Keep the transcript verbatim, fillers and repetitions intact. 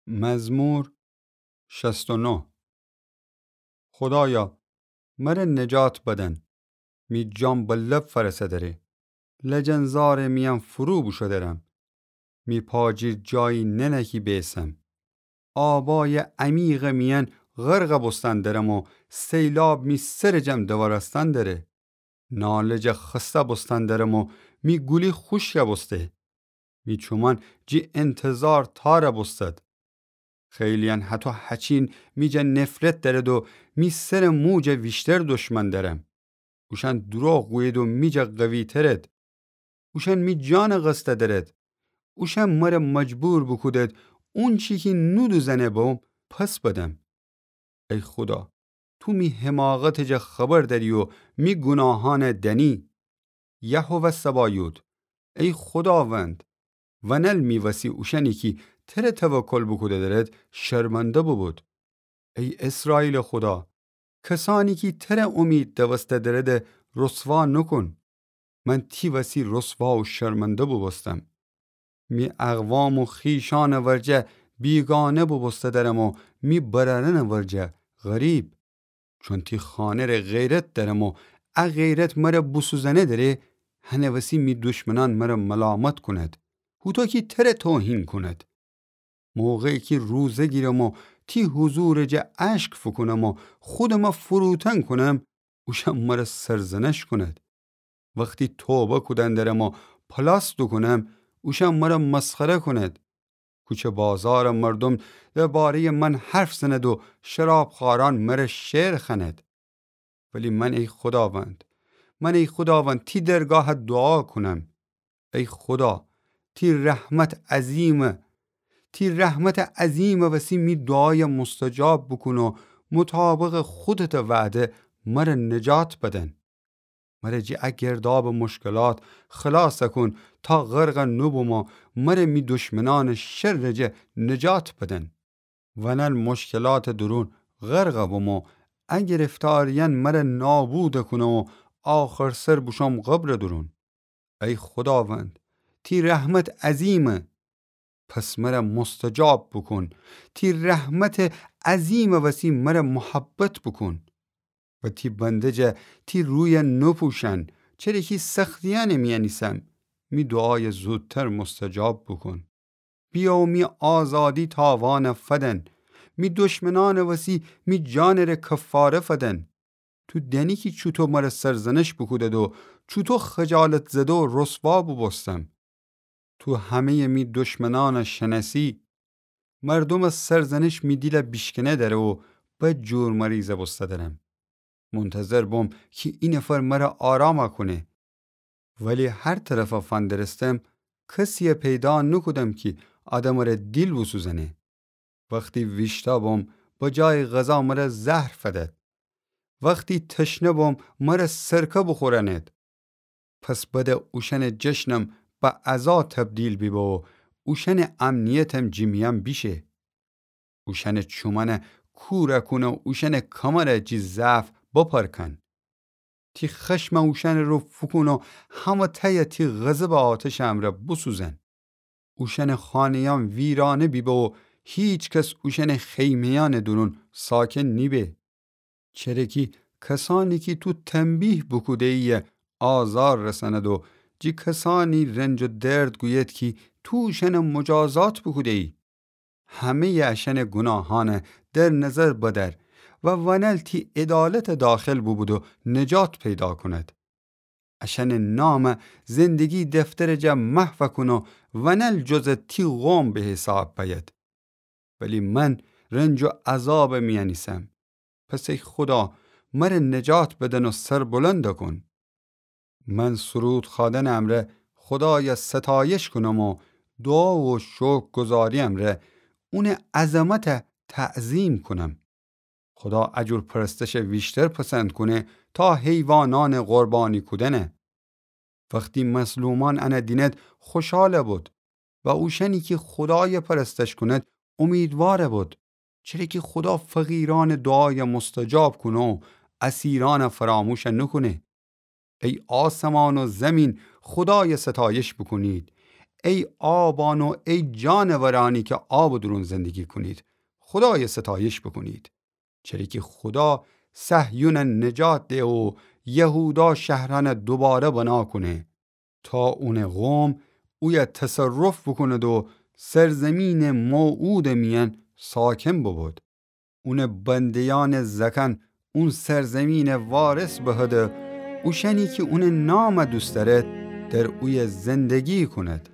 مزمور شصت و نه. خودایا، مره نجات بدن. می جان به لب فأرسه دره. لجنزارٚ میأن فرو بوشو درم. می پا جیر جایی ننه کی بیسم. آبای عمیقٚ میأن غرق بوستن درم و سیلاب می سرٚ جم دوارستن دره. نالج خسته بوستن درم و می گولی خوشک بوسته. می چومأن جی انتظار تار بوستد. خیلی‌یأن هتو هچین می جا نفرت درد و می سرٚ مو جا ویشتر دشمن درم. اوشأن دروغ گوید و می جا قوی‌ترد. اوشأن می جان قصد درد. اوشأن مره مجبور بوکودد اونچی کی نودوزأنه بوم پس بدم. ای خودا، تو می حماقتٚ جا خبر دأری و می گوناهأن دأنی. یهوه سبایوت، ای خوداوند، ونل می وسی اوشأنی کی تره توکل بوکوده درد شرمنده بوبود. ای اسرائیلٚ خودا، کسأنی کی تره اومید دوسته درد رسوا نوکون. من تی وسی رسوا و شرمنده بوبوستم. می اقوام و خویشأنٚ ورجه بیگانه بوبوسته درم و می برأرأنٚ ورجه غریب. چون تی خانه ره غیرت درم و ا غیرت مره بوسوزأنه دره، هنه وسی می دشمنأن مره ملامت کونید. هوطو کی تره توهین کونید. موقعی کی روزه گیرم و تی حضورٚ جا اشک فوکونم و خودم فروتن کونم، اوشأن مره سرزنش کونید. وختی توبه کودن درم و پلاس دوکونم، اوشأن مره مسخره کونید. کوچه بازارٚ مردوم درباره‌یٚ من حرف زند و شرابخوأرأن مره شعر خوأند. ولی من ای خوداوند، من ای خوداوند، تی درگاه دوعا کونم. ای خودا، تی رحمت عظیمه. تی رحمت عظیمٚ وسی می دوعای مستجاب بوکون و مطابقٚ خودتٚ وعده مره نجات بدن. مره جی ا گردابٚ مشکلات خلاص کون تا غرق نوبوم و مره می دشمنأنٚ شرٚ جا نجات بدن. ونل مشکلاتٚ دورون غرق بوم و ا گرفتاریأن مره نابود کونه و آخرسر بوشوم قبرٚ دورون. ای خوداوند، تی رحمت عظیمه. پس مره مستجاب بوکون. تی رحمتٚ عظیمٚ وسی مره محبت بوکون. و تی بنده جا تی روی نپوشن، چره کی سختیأنٚ میأن ایسم. می دوعای زودتر مستجاب بوکون. بیأ و می آزادی تاوان فدن. می دشمنأنٚ وسی می جانٚ ره کفاره فدن. تو دأنی کی چوطو مره سرزنش بوکودد و چوطو خجالت زده و رسوا بوبوستم. تو همه‌یٚ می دشمنأن شنأسی. مردومٚ سرزنش می دیل بیشکنه دره و بد جور مریض بوسته درم. منتظر بوم کی اینفر مره آرام کونه. ولی هر طرف فندرستم، کسی پیدا نوکودم کی آدمٚ ره دیل بوسوزنه. وختی ویشتأ بوم، به جای غذا مره زهر فدد. وختی تشنه بوم، مره سرکه بوخورأند. پس بده اوشأنٚ جشنم به عزا تبدیل بیبه و اوشأنٚ امنیتم جی میأن بیشه. اوشأنٚ چومأن کور کون و اوشأنٚ کمر جی ضعف بپرکن. تی خشم اوشأنٚ رو فوکون و همه‌تأ تی غضبٚ آتشٚ امرأ بوسوزن. اوشأنٚ خانه‌یأن ویرانه بیبه و هیکس اوشأنٚ خیمه‌یأنٚ دورون ساکن نیبه. چره کی کسأنی کی تو تنبیه بوکوده‌یی آزار رسأند و جی کسأنی رنج و درد گوید کی تو اوشأن مجازات بوکوده‌یی. همه‌یٚ اشأنٚ گوناهأن در نظر بدأر و ونل تی عدالت داخل بوبود و نجات پیدا کند. اشأنٚ نام زندگی دفترٚ جا محو کون و ونل جزٚ تی قوم به حساب بأید. ولی من رنج و عذابٚ میأن ایسم. پس ای خودا، مره نجات بدن و سربلند کون. من سرود خوأدنٚ امرأ خودای ستایش کونم و دوعا و شکرگزاری امرأ اونٚ عظمت تعظیم کونم. خودا ا جور پرستش ویشتر پسند کونه تا حیوانأن قربانی کودنه. وختی مظلومأن انه دینید خوشحال بود و اوشأنی کی خودای پرستش کونید امیدوار بود. چره کی خودا فقیرأنٚ دوعای مستجاب کونه و اسیرأن فراموش نوکونه. ای آسمان و زمین، خودای ستایش بوکونید. ای آبان و ای جانورانی کی آبٚ دورون زندگی کونید، خودایٚ ستایش بوکونید. چره کی خودا صهیونَ نجات ده و یهودا شهرأنَ دوباره بنا کونه، تا اونٚ قوم اویه تصرف بوکوند و سرزیمینٚ موعودٚ میأن ساکن بوبود. اونٚ بنده‌یأنٚ زأکأن اون سرزیمینَ وارث بهد، اوشأنی کی اونٚ نامَ دوست دأرد، در اویه زندگی کونید.